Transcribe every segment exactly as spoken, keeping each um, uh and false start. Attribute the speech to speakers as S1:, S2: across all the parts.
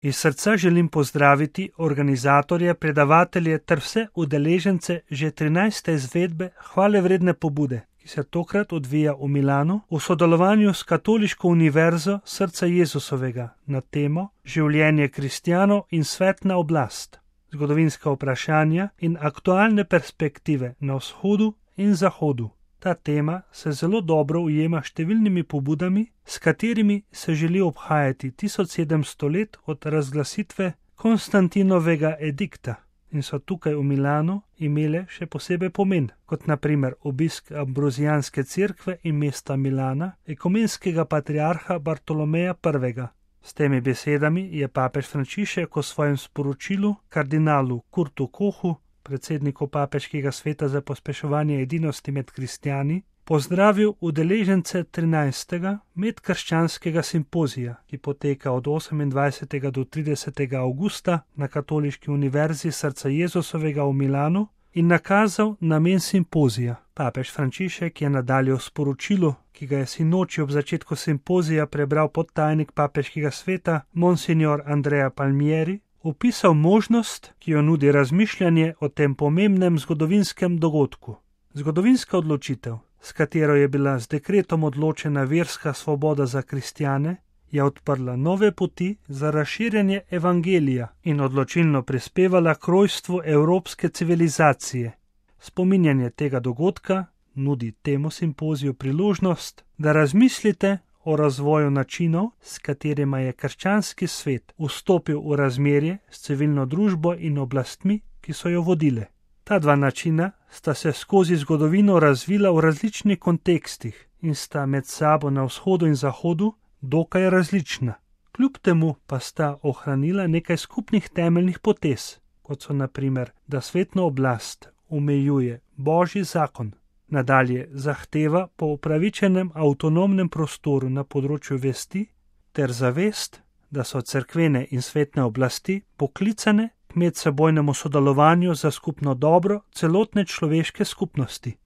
S1: Iz srca želim pozdraviti organizatorje, predavatelje ter vse udeležence že trinajste izvedbe hvalevredne pobude, ki se tokrat odvija v Milanu v sodelovanju s Katoliško univerzo Srca Jezusovega na temo Življenje kristjanov in svetna oblast, zgodovinska vprašanja in aktualne perspektive na vzhodu in zahodu. Ta tema se zelo dobro ujema številnimi pobudami, s katerimi se želi obhajati tisoč sedemsto let od razglasitve Konstantinovega edikta in so tukaj v Milanu imele še posebej pomen, kot na primer obisk Ambrozijanske cerkve in mesta Milana, ekumenskega patriarha Bartolomeja prvega. S temi besedami je papež Frančišek v svojem sporočilu kardinalu Kurtu Kohu, predsedniku Papeškega sveta za pospeševanje edinosti med kristjani, pozdravil udeležence trinajstega medkrščanskega simpozija, ki poteka od osemindvajsetega do tridesetega avgusta na Katoliški univerzi Srca Jezusovega v Milanu in nakazal namen simpozija. Papež Frančišek je nadalje v sporočilu, ki ga je sinoči ob začetku simpozija prebral podtajnik Papeškega sveta Monsignor Andrea Palmieri, opisal možnost, ki jo nudi razmišljanje o tem pomembnem zgodovinskem dogodku. Zgodovinska odločitev, s katero je bila z dekretom odločena verska svoboda za kristjane, je odprla nove poti za razširjanje evangelija in odločilno prispevala k rojstvu evropske civilizacije. Spominjanje tega dogodka nudi temu simpoziju priložnost, da razmislite o razvoju načinov, s katerima je krščanski svet vstopil v razmerje s civilno družbo in oblastmi, ki so jo vodile. Ta dva načina sta se skozi zgodovino razvila v različnih kontekstih in sta med sabo na vzhodu in zahodu dokaj različna. Kljub temu pa sta ohranila nekaj skupnih temeljnih potez, kot so na primer, da svetno oblast omejuje Božji zakon, nadalje zahteva po upravičenem avtonomnem prostoru na področju vesti ter zavest, da so cerkvene in svetne oblasti poklicane k medsebojnemu sodelovanju za skupno dobro celotne človeške skupnosti.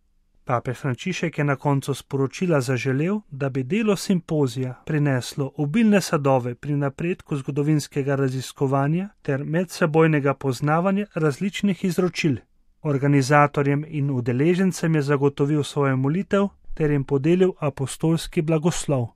S1: Papež Frančišek je na koncu sporočila zaželel, da bi delo simpozija prineslo obilne sadove pri napredku zgodovinskega raziskovanja ter medsebojnega poznavanja različnih izročil. Organizatorjem in udeležencem je zagotovil svojo molitev ter jim podelil apostolski blagoslov.